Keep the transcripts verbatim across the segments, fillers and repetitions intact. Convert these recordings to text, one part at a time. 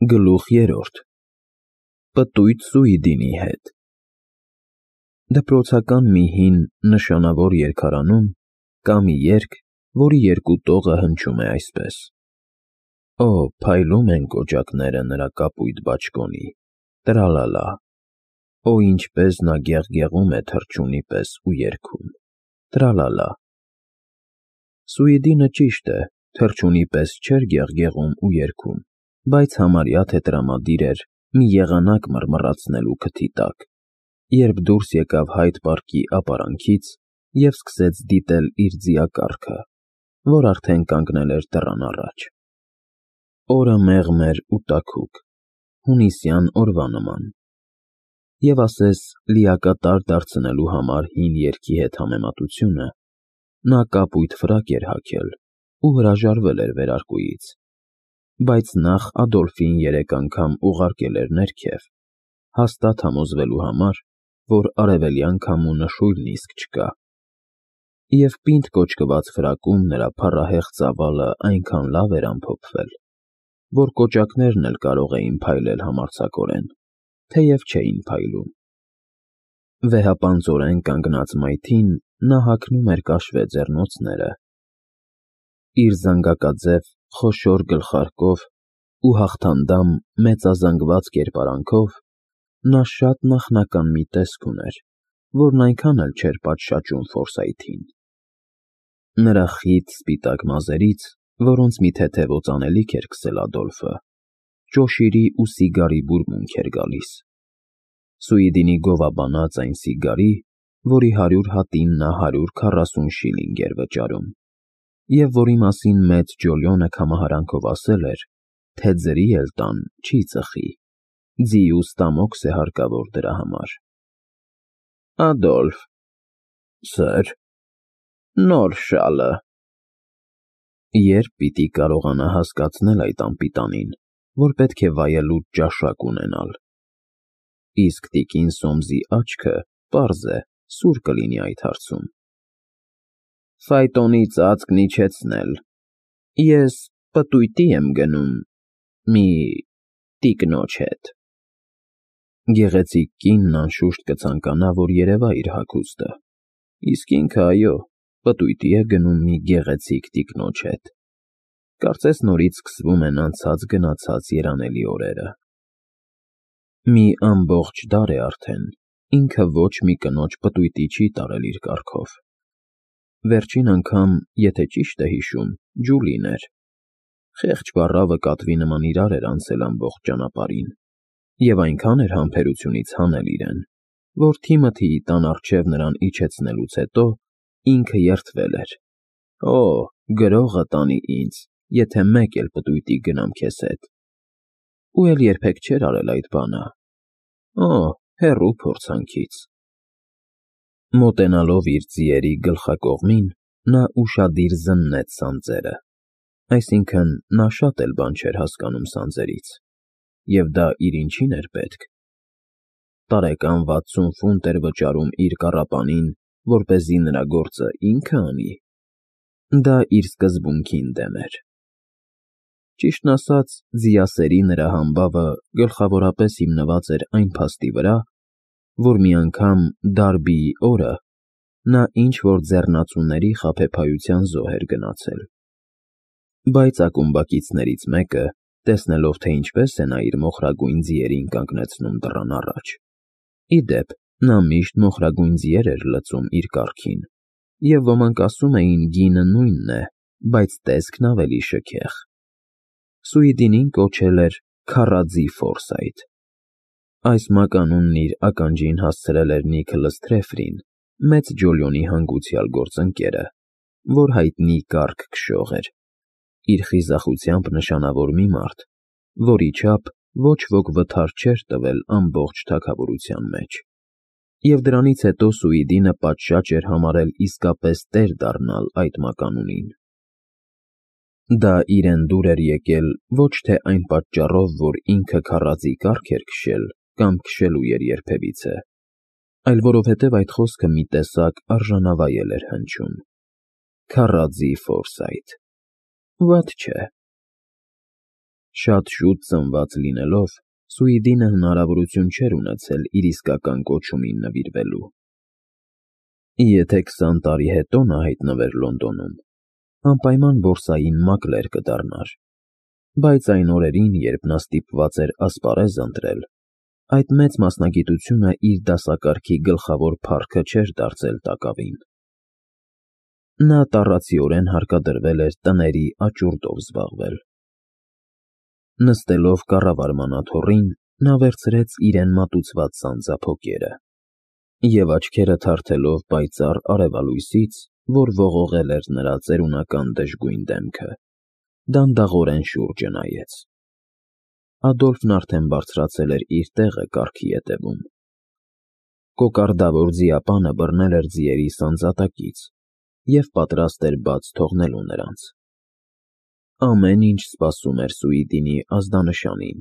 Գլուխ երրորդ Պտույտ Սուիդինի հետ Դպրոցական մի հին, նշանավոր երգարանում կա մի երգ, որի երկու տողը հնչում է այսպես. Օ, փայլում են կոճակները նրա կապույտ բաճկոնի, տրալալա, Օ, ինչպես նա գեղգեղում է թռչունի պես ու երգում, տրալալա։ Սուիդինը ճիշտ է, թռչունի պես չէր գեղգեղում ու երգում, բայց համարյա թե տրամադիր էր մի եղանակ մռմռացնելու քթի տակ, երբ դուրս եկավ Հայդ պարկի ապարանքից և սկսեց դիտել իր ձիակառքը, որ արդեն կանգնել էր դռան առաջ։ Օրը մեղմ էր ու տաքուկ, հունիսյան օրվա նման, և ասես լիակատար դարձնելու համար հին երգի հետ համեմատությունը, նա կապույտ ֆրակ էր հագել ու հրաժարվել էր վերարկուից, բայց նախ Ադոլֆին երեք անգամ ուղարկել էր ներքև, հաստատ համոզվելու համար, որ արևելյան քամու նշույլն իսկ չկա, և պինդ կոճկված ֆրակում նրա փառահեղ ծավալը այնքան լավ էր ամփոփվել, որ կոճակներն էլ կարող էին փայլել համարձակորեն, թեև չէին փայլում։ Վեհապանծորեն կանգնած մայթին նա հագնում էր կաշվե ձեռնոցները, իր զանգակաձև խոշոր գլխարկով ու հաղթանդամ մեծազանգված կերպարանքով նա շատ նախնական մի տեսք ուներ, որն այնքան էլ չէր պատշաճում Ֆորսայթին։ Նրա խիտ սպիտակ մազերից, որոնց մի թեթև օծանելիք էր քսել Ադոլֆը, ճոշիրի ու սիգարի բուրմունք էր գալիս։ Սուիդինի գովաբանած այն սիգարի, որի հարյուր հատին նա հարյուր քառասուն շիլինգ էր վճարում, և որի մասին մեծ Ջոլյոնը քամահարանքով ասել էր, թե ձրի էլ տան չի ծխի, ձի ու ստամոքս է հարկավոր դրա համար։ Ադոլֆ… Սըր… Նոր շալը… Երբ պիտի կարողանա հասկացնել այդ անպիտանին, որ պետք է վայելուչ ճաշակ ունենալ։ Իսկ տիկին Սոմսի աչքը, պարզ է, սուր կլինի այդ հարցում։ Ֆայտոնի ծածկն իջեցնել… Ես պտույտի եմ գնում… մի… տիկնոջ հետ… Գեղեցիկ կինն անշուշտ կցանկանա, որ երևա իր հագուստը, իսկ ինքը, այո, պտույտի է գնում մի գեղեցիկ տիկնոջ հետ… Կարծես նորից սկսվում են անցած֊գնացած երանելի օրերը։ Մի ամբողջ դար է արդեն, ինքը ոչ մի կնոջ պտույտի չի տարել իր կառքով։ Վերջին անգամ, եթե ճիշտ է հիշում, Ջուլին էր։ Խեղճ բառավը կատվի նման իրար էր անցել ամբողջ ճանապարհին, և այնքան էր համբերությունից հանել իրեն, որ Թիմոթիի տան առջև նրան իջեցնելուց հետո ինքը երդվել էր. Օ, գրողը տանի ինձ, եթե մեկ էլ պտույտի գնամ քեզ հետ… Ու էլ երբեք չէր արել այդ բանը… Օ, հեռու փորձանքից… Մոտենալով իր ձիերի գլխակողմին, նա ուշադիր զննեց սանձերը, այսինքն՝ նա շատ էլ բան չէր հասկանում սանձերից, և դա իր ինչին էր պետք… Տարեկան վաթսուն ֆունտ էր վճարում իր կառապանին, որպեսզի նրա գործը ինքը անի… Դա իր սկզբունքին դեմ էր։ Ճիշտն ասած, ձիասերի նրա համբավը գլխավորապես հիմնված էր այն փաստի վրա, որ մի անգամ Դարբիի օրը նա ինչ֊որ ձեռնածուների խաբեբայության զոհ էր գնացել։ Բայց ակումբակիցներից մեկը, տեսնելով, թե ինչպես է նա իր մոխրագույն ձիերին կանգնեցնում դռան առաջ, ի դեպ, նա միշտ մոխրագույն ձիեր էր լցում իր կառքին, և ոմանք ասում էին գինը նույնն է, բայց տեսքն ավելի շքեղ, Սուիդինին կոչել էր Քառաձի Ֆորսայթ։ Այս մականունն իր ականջին հասցրել էր Նիքլս Թրեֆրին, մեծ Ջոլիոնի հանգուցյալ գործընկերը, որ հայտնի կառք֊քշող էր, իր խիզախությամբ նշանավոր մի մարդ, որի չափ ոչ ոք վթար չէր տվել ամբողջ թագավորության մեջ, և դրանից հետո Սուիդինը պատշաճ էր համարել իսկապես տեր դառնալ այդ մականունին։ Դա իրեն դուր էր եկել ոչ թե այն պատճառով, որ ինքը քառաձի կառք էր քշել կամ քշելու էր երբևիցե, այլ որովհետև այդ խոսքը մի տեսակ արժանավայել էր հնչում. Քառաձի Ֆորսայթ… Վատ չէ։ Շատ շուտ ծնված լինելով, Սուիդինը հնարավորություն չէր ունեցել իր իսկական կոչումին նվիրվելու։ Եթե քսան տարի հետո նա հայտնվեր Լոնդոնում, անպայման բորսային մակլեր կդառնար, բայց այն օրերին, երբ նա ստիպված էր ասպարեզ ընտրել, այդ մեծ մասնագիտությունը իր դասակարգի գլխավոր փառքը չէր դարձել տակավին։ Նա տառացիորեն հարկադրվել էր տների աճուրդով զբաղվել։ Նստելով կառավարման աթոռին, նա վերցրեց իրեն մատուցված սանձափոկերը և աչքերը թարթելով պայծառ արևալույսից, որ ողողել էր նրա ծերունական դժգույն դեմքը, դանդաղորեն շուրջը նայեց։ Ադոլֆն արդեն բարձրացել էր իր տեղը կառքի ետևում։ Կոկարդավոր ձիապանը բռնել էր ձիերի սանձատակից և պատրաստ էր բաց թողնելու նրանց։ Ամեն ինչ սպասում էր Սուիդինի ազդանշանին,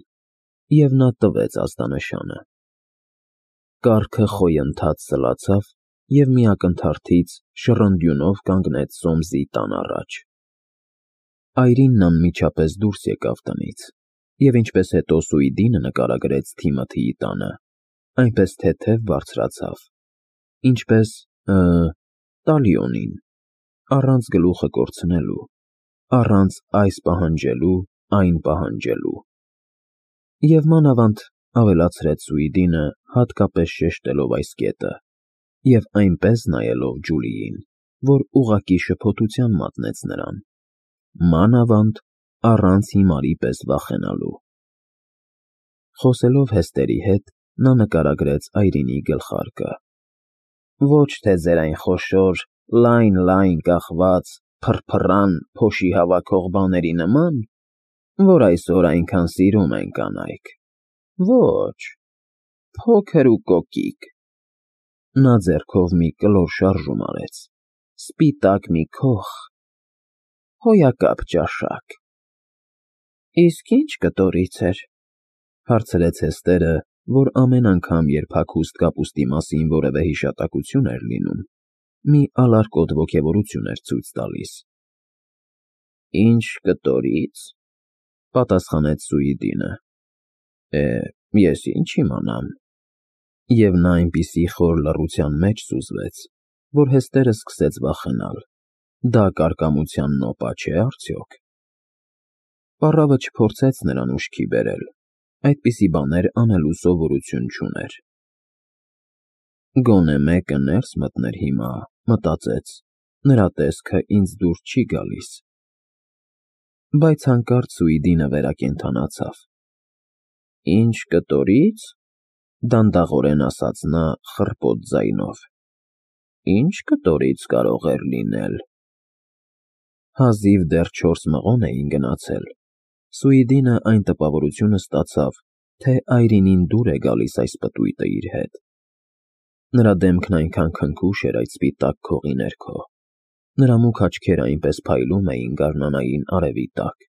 և նա տվեց ազդանշանը։ Կառքը խոյընթաց սլացավ և մի ակնթարթից շռնդյունով կանգնեց Սոմսի տան առաջ։ Այրինն անմիջապես դուրս եկավ տնից, և ինչպես հետո Սուիդինը նկարագրեց Թիմոթիի տանը, այնպես թեթև բարձրացավ, ինչպես, տալիոնին, առանց գլուխը կորցնելու, առանց այս պահանջելու, այն պահանջելու։ Եվ մանավանդ, ավելացրեց Սուիդինը, հատկապես շեշտելով այս կետը, և այնպես նայելով Ջուլիին, որ ուղղակի շփոթության մատնեց նրան, մանավանդ առանց հիմարի պես վախենալու։ Խոսելով Հեստերի հետ, նա նկարագրեց Այրինի գլխարկը։ Ոչ թե ձեր այն խոշոր, լայն֊լայն կախված, փռփռան, փոշի հավաքող բաների նման, որ այսօր այնքան սիրում են կանայք, ոչ, փոքր ու կոկիկ։ Նա ձեռքով մի կլոր շարժում արեց, սպիտակ մի քոխ, հոյակապ ճաշակ։ Իսկ ի՞նչ կտորից էր, հարցրեց Հեստերը, որ ամեն անգամ, երբ հագուստ կապուստի մասին որևէ հիշատակություն էր լինում, մի ալարկոտ ոգևորություն էր ցույց տալիս։ Ինչ կտորից, պատասխանեց Սուիդինը։ Է, ես ինչ իմանամ։ Եվ նա այնպիսի խոր լռության մեջ սուզվեց, որ Հեստերը սկսեց վախենալ. դա կարկամության նոպա չէ՞ արդյոք։ Պառավը չփորձեց նրան ուշքի բերել, այդպիսի բաներ անելու սովորություն չուներ։ Գոնե մեկը ներս մտներ հիմա, մտածեց, նրա տեսքը ինձ դուր չի գալիս։ Բայց հանկարծ Սուիդինը վերակենդանացավ։ Ինչ կտորից, դանդաղորեն ասաց նա խռպոտ ձայնով։ Ինչ կտորից կարող էր լինել։ Հազիվ դեռ չորս մղոն էին գնացել, Սուիդինը այն տպավորությունը ստացավ, թե Այրինին դուր է գալիս այս պտույտը իր հետ։ Նրա դեմքն այնքան քնքուշ էր այդ սպիտակ քողի ներքո, նրա մուգ աչքերը այնպես փայլում էին գարնանային արևի տակ,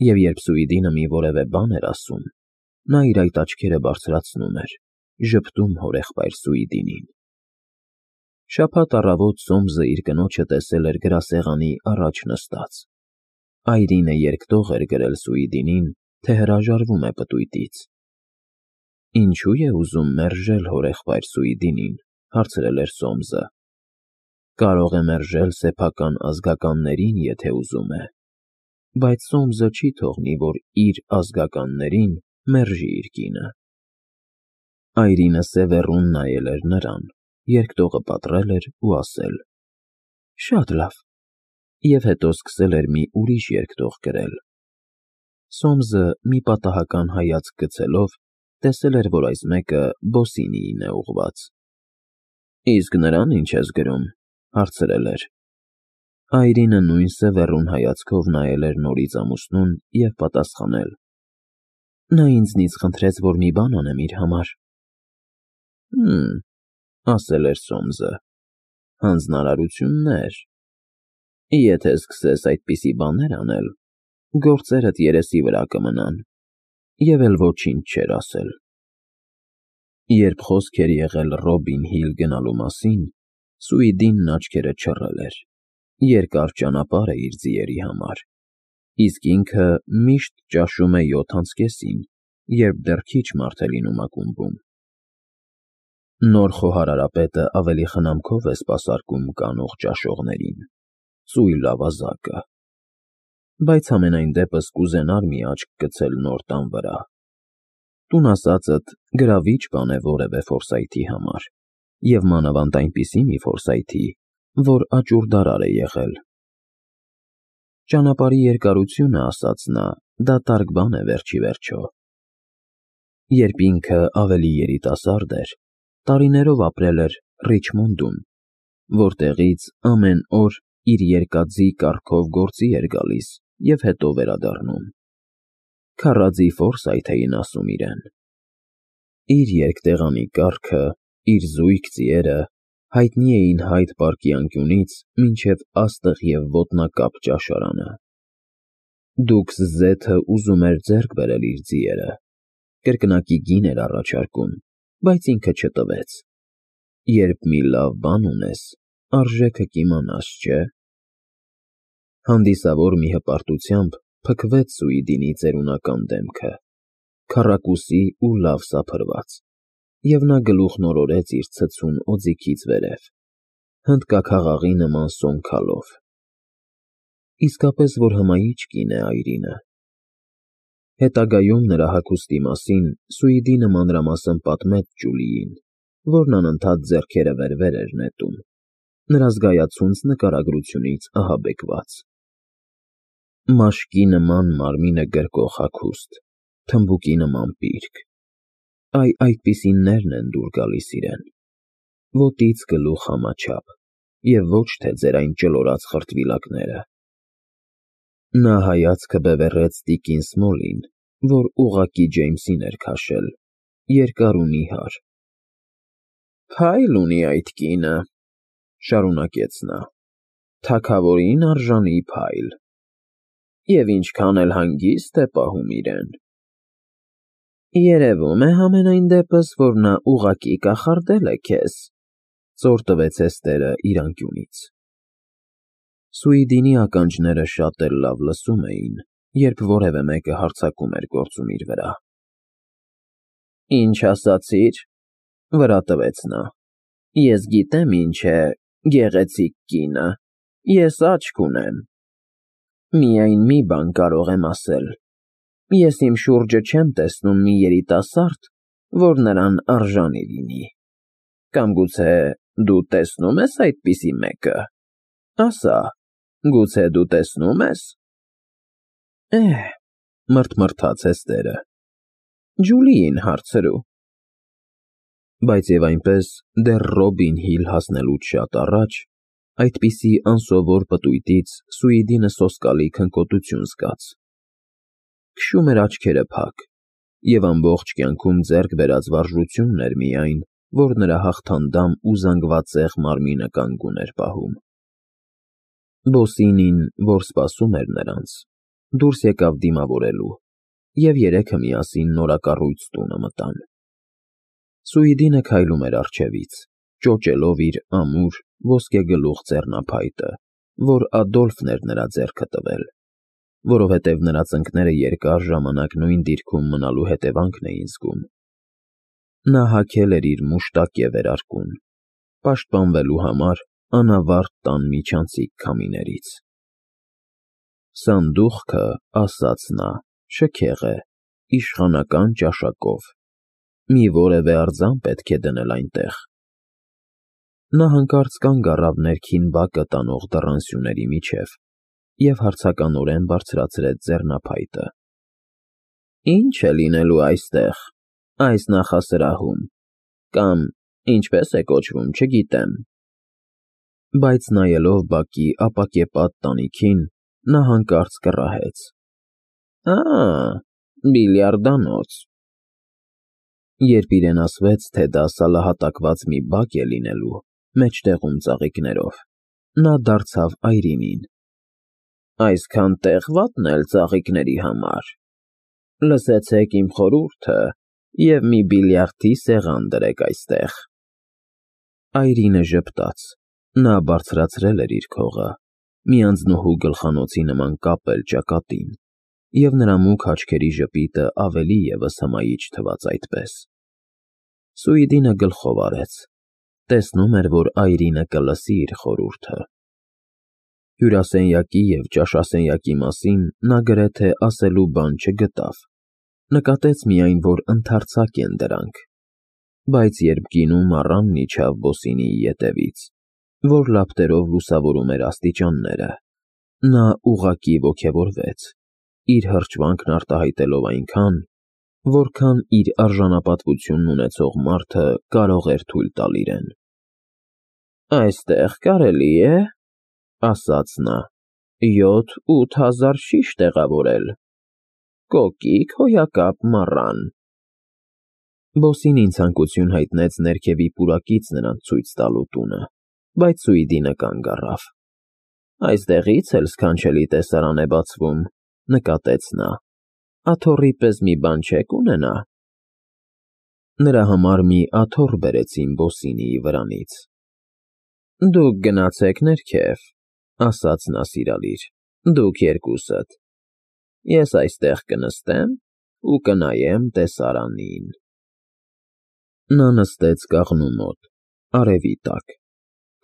և երբ Սուիդինը մի որևէ բան էր ասում, նա իր այդ աչքերը բարձրացնում էր, ժպտում հորեղբայր Սուիդինին։ Շաբաթ առավոտ Սոմսը իր կնոջը տեսել էր գրասեղանի առաջ նստած։ Այրինը երկտող էր գրել Սուիդինին, թե հրաժարվում է պտույտից։ Ինչու է ուզում մերժել հորեղբայր Սուիդինին, հարցրել էր Սոմսը։ Կարող է մերժել սեփական ազգականներին, եթե ուզում է, բայց Սոմսը չի թողնի, որ իր ազգականներին մերժի իր կինը։ Այրինը սևեռուն նայել էր նրան, երկտողը պատռել էր ու ասել. Շատ լավ, և հետո սկսել էր մի ուրիշ երկտող գրել։ Սոմսը մի պատահական հայացք գցելով, տեսել էր, որ այս մեկը Բոսինիին է ուղղված։ Իսկ նրան ինչ ես գրում, հարցրել էր։ Այրինը նույն սևեռուն հայացքով նայել էր նորից ամուսնուն և պատասխանել. Նա ինձնից խնդրեց, որ մի բան անեմ իր համար։ Հըմ, ասել էր Սոմսը, հանձնարարություններ։ Եթե սկսես այդպիսի բաներ անել, գործերդ երեսի վրա կմնան, և էլ ոչինչ չէր ասել։ Երբ խոսք էր եղել Ռոբին Հիլ գնալու մասին, Սուիդինն աչքերը չռել էր, երկար ճանապարհ է իր ձիերի համար, իսկ ինքը միշտ ճաշում է յոթ անց կեսին, երբ դեռ քիչ մարդ է լինում ակումբում։ Նոր խոհարարապետը ավելի խնամքով է սպասարկում կանող ճաշողներին, ծույլ ավազակը, բայց համենայն դեպս կուզենար մի աչք գցել նոր տան վրա։ Տուն ասածդ գրավիչ բան է որևէ Ֆորսայթի համար, և մանավանդ այնպիսի մի Ֆորսայթի, որ աճուրդարար է եղել։ Ճանապարհի երկարությունը, ասաց նա, դատարկ բան է վերջիվերջո։ Երբ ինքը ավելի երիտասարդ էր, տարիներով ապրել էր Ռիչմոնդում, որտեղից ամեն օր իր երկաթզի կառքով գործի էր գալիս և հետո վերադառնում։ Քառաձի Ֆորսայթ էին ասում իրեն։ Իր երկտեղանի կառքը, իր զույգ ձիերը հայտնի էին Հայդ պարկի անկյունից մինչև աստղ և ոտնակապ ճաշարանը։ Դուքս Զեթը ուզում էր ձեռք բերել իր ձիերը, կրկնակի գին էր առաջարկում, բայց ինքը չտվեց։ Երբ մի լավ բան ունես, արժեքը կիմանաս, չէ՞։ Հանդիսավոր մի հպարտությամբ փքվեց Սուիդինի ծերունական դեմքը, քառակուսի ու լավ սափրված, և նա գլուխն օրորեց իր ցցուն օձիքից վերև, հնդկաքաղաղի նման սոնքալով։ Իսկապես որ հմայիչ կին է Այրինը։ Հետագայում նրա հագուստի մասին Սուիդինը մանրամասն պատմեց Ջուլիին, որն անընդհատ ձեռքերը վեր֊վեր էր նետում, նրա զգայացունց նկարագրությունից ահաբեկված։ Մաշկի նման մարմինը գրկող հագուստ, թմբուկի նման պիրկ, այ այդպիսիններն են դուր գալիս իրեն, ոտից գլուխ համաչափ, և ոչ թե ձեր այն ճլորած խրտվիլակները։ Նա հայացքը բևեռեց տիկին Սմոլին, որ ուղղակի Ջեյմսին էր քաշել, երկար ու նիհար։ Փայլ ունի այդ կինը, շարունակեց նա, թագավորին արժանի փայլ, և ինչքան էլ հանգիստ է պահում իրեն։ Երևում է համենայն դեպս, որ նա ուղղակի կախարդել է քեզ, ծոր տվեց Էսթերը իր անկյունից։ Սուիդինի ականջները շատ էլ լավ լսում էին, երբ որևէ մեկը հարձակում էր գործում իր վրա։ Ինչ ասացիր, վրա տվեց նա, ես գիտեմ ինչ է գեղեցիկ կինը, ես աչք ունեմ։ Միայն մի բան կարող եմ ասել. ես իմ շուրջը չեմ տեսնում մի երիտասարդ, որ նրան արժանի լինի։ Կամ գուցե դու տեսնում ես այդպիսի մեկը, ասա, գուցե դու տեսնում ես։ Էհ, մռթմռթաց Էսթերը, Ջուլիին հարցրու։ Բայց և այնպես, դեռ Ռոբին Հիլ հասնելուց շատ առաջ, այդպիսի անսովոր պտույտից Սուիդինը սոսկալի քնկոտություն զգաց։ Քշում էր աչքերը փակ, և ամբողջ կյանքում ձեռք բերած վարժությունն էր միայն, որ նրա հաղթանդամ ու զանգվածեղ մարմինը կանգուն էր պահում։ Բոսինին, որ սպասում էր նրանց, դուրս եկավ դիմավորելու, և երեքը միասին նորակառույց տունը մտան։ Սուիդինը քայլում էր առջևից, ճոճելով իր ամուր, ոսկեգլուխ ձեռնափայտը, որ Ադոլֆն էր նրա ձեռքը տվել, որովհետև նրա ծնկները երկար ժամանակ նույն դիրքում մնալու հետևանքն էին զգում։ Նա հագել էր իր մուշտակե վերարկուն, պաշտպանվելու համար անավարտ տան միջանցիկ քամիներից։ Սանդուղքը, ասաց նա, շքեղ է, իշխանական ճաշակով, մի որևէ արձան պետք է դնել այնտեղ։ Նա հանկարծ կանգ առավ ներքին բակը տանող դռան սյուների միջև և հարցականորեն բարձրացրեց ձեռնափայտը։ Ինչ է լինելու այստեղ, այս նախասրահում, կամ ինչպես է կոչվում, չգիտեմ։ Բայց նայելով բակի ապակեպատ տանիքին, նա հանկարծ կռահեց. Ա, բիլիարդանոց։ Երբ իրեն ասվեց, թե դա սալահատակված մի բակ է լինելու, մեջտեղում ծաղիկներով, նա դարձավ Այրինին. Այսքան տեղ վատն էլ ծաղիկների համար։ Լսեցեք իմ խորհուրդը և մի բիլիարդի սեղան դրեք այստեղ։ Այրինը ժպտաց, նա բարձրացրել էր իր քողը, մի անձնուհու գլխանոցի նման կապել ճակատին, և նրա մուգ աչքերի ժպիտը ավելի ևս հմայիչ թվաց այդպես։ Սուիդինը գլխով արեց, տեսնում էր, որ այրինը կլսի իր խորհուրդը։ Հյուրասենյակի և ճաշասենյակի մասին նա գրեթե ասելու բան չգտավ, նկատեց միայն, որ ընդարձակ են դրանք, բայց երբ գինու մառանն իջավ Բոսինիի ետևից, որ լապտերով լուսավորում էր աստիճանները, նա ուղղակի ոգևորվեց, իր հրճվանքն արտահայտելով այնքան, որքան իր արժանապատվությունն ունեցող մարդը կարող էր թույլ տալ իրեն։ «Այստեղ կարելի է, — ասաց նա, — յոթ֊ութ հազար շիշ տեղավորել, կոկիկ հոյակապ մառան»։ Բոսինին ցանկություն հայտնեց ներքևի պուրակից նրանց ցույց տալու տունը, բայց Սուիդինը կանգ առավ։ «Այստեղից էլ սքանչելի տեսարան է բացվում, — նկատեց նա, — աթոռի պես մի բան չեք ունենա»։ Նրա համար մի աթոռ բերեցին Բոսինիի վրանից։ «Դուք գնացեք ներքև, — ասաց նա սիրալիր, — դուք երկուսդ, ես այստեղ կնստեմ ու կնայեմ տեսարանին»։ Նա նստեց կաղնու մոտ, արևի տակ,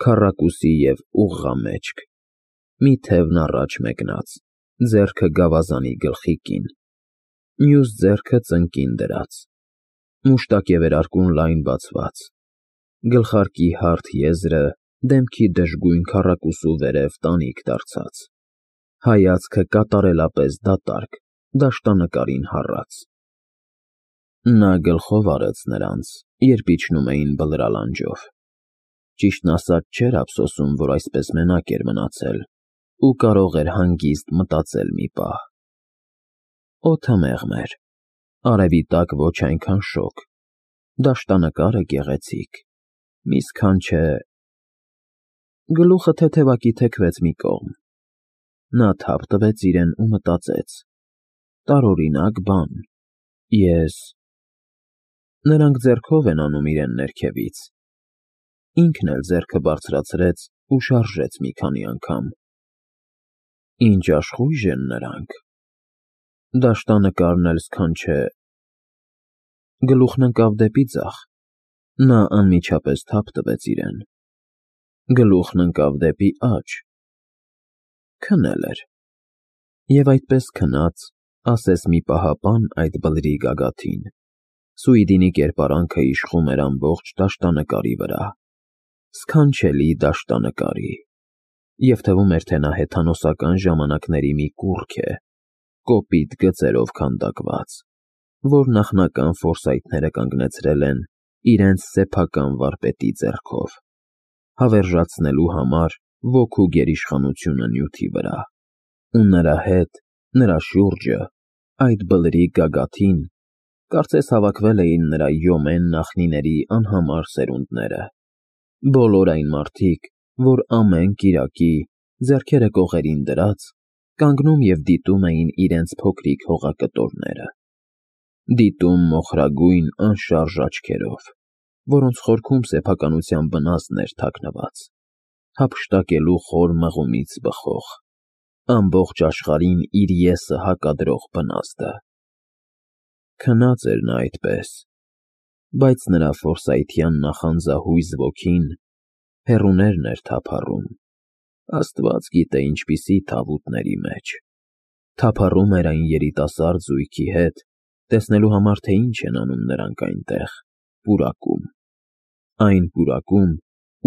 քառակուսի և ուղղամեջք, մի թևն առաջ մեկնած, ձեռքը գավազանի գլխիկին, մյուս ձեռքը ծնկին դրած, մուշտակ և վերարկուն լայն բացված, գլխարկի հարթ եզրը դեմքի դժգույն քառակուսու վերև տանիք դարձած, հայացքը կատարելապես դատարկ, դաշտանկարին հառած։ Նա գլխով արեց նրանց, երբ իջնում էին բլրալանջով։ Ճիշտն ասած, չէր ափսոսում, որ այսպես մենակ էր մնացել ու կարող էր հանգիստ մտածել մի պահ։ Օդը մեղմ էր, արևի տակ ոչ այնքան շոգ, դաշտանկարը գեղեցիկ, մի սքանչե… Գլուխը թեթևակի թեքվեց մի կողմ։ Նա թափ տվեց իրեն ու մտածեց. տարօրինակ բան, ես… Նրանք ձեռքով են անում իրեն ներքևից։ Ինքն էլ ձեռքը բարձրացրեց ու շարժեց մի քանի անգամ։ Ինչ աշխույժ են նրանք… Դաշտանկարն էլ սքանչե… Գլուխն ընկավ դեպի ձախ։ Նա անմիջապես թափ տվեց իրեն։ Գլուխն ընկավ դեպի աջ… Քնել էր։ Եվ այդպես քնած, ասես մի պահապան այդ բլրի գագաթին, Սուիդինի կերպարանքը իշխում էր ամբողջ դաշտանկարի վրա, սքանչելի դաշտանկարի, և թվում էր, թե նա հեթանոսական ժամանակների մի կուռք է, կոպիտ գծերով քանդակված, որ նախնական ֆորսայթները կանգնեցրել են իրենց սեփական վարպետի ձեռքով, հավերժացնելու համար ոգու գերիշխանությունը նյութի վրա, ու նրա հետ, նրա շուրջը, այդ բլրի գագաթին, կարծես հավաքվել էին նրա յոմեն նախնիների անհամար սերունդները, բոլոր այն մարդիկ, որ ամեն կիրակի, ձեռքերը կողերին դրած, կանգնում և դիտում էին իրենց փոքրիկ հողակտորները, դիտում մոխրագույն անշարժ աչքերով, որոնց խորքում սեփականության բնազդն էր թաքնված, հափշտակելու խոր մղումից բխող, ամբողջ աշխարհին իր եսը հակադրող բնազդը։ Քնած էր նա այդպես, բայց նրա ֆորսայթյան նախանձահույզ ոգին հեռուներն էր թափառում, աստված գիտե ինչպիսի թավուտների մեջ, թափառում էր այն երիտասարդ զույգի հետ, տեսնելու համար, թե ինչ են անում նրանք այնտեղ, պուրակում, այն պուրակում,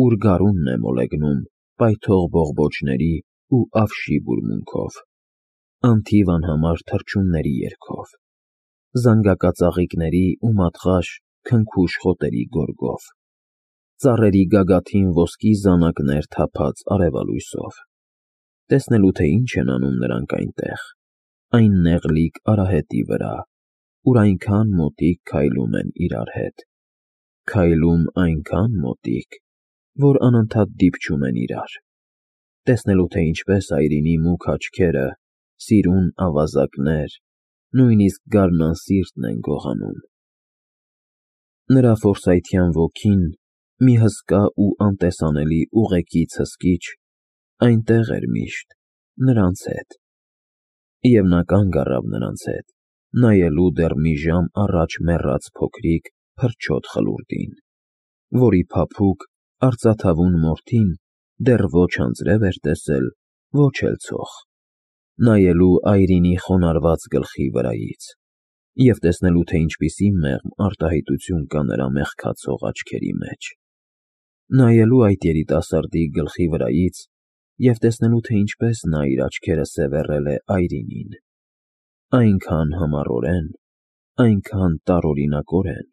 ուր գարունն է մոլեգնում պայթող բողբոջների ու ավշի բուրմունքով, անթիվ անհամար թռչունների երգով, զանգակածաղիկների ու մատղաշ քնքուշ խոտերի գորգով, ծառերի գագաթին ոսկի զանակներ թափած արևալույսով, տեսնելու, թե ինչ են անում նրանք այնտեղ, այն նեղլիկ արահետի վրա, ուր այնքան մոտիկ քայլում են իրար հետ, քայլում այնքան մոտիկ, որ անընդհատ դիպչում են իրար, տեսնելու, թե ինչպես այրինի մուգ աչքերը, սիրուն ավազակներ, նույնիսկ գարնանսիրտն են գողանում։ Նրա ֆորսայթյան ոգին, մի հսկա ու անտեսանելի ուղեկից հսկիչ, այնտեղ էր միշտ, նրանց հետ։ Եվ նա կանգ առավ նրանց հետ, նայելու դեռ մի ժամ առաջ մեռած փոքրիկ, փրչոտ խլուրդին, որի փափուկ, արծաթավուն մորթին դեռ ոչ անձրև էր տեսել, ոչ էլ ցող, նայելու այրինի խոնարհված գլխի վրայից և տեսնելու, թե ինչպիսի մեղմ արտահայտություն կա նրա մեղքացող աչքերի մեջ, նայելու այդ երիտասարդի գլխի վրայից և տեսնելու, թե ինչպես նա իր աչքերը սևեռել է այրինին, այնքան համառորեն, այնքան տարօրինակորեն,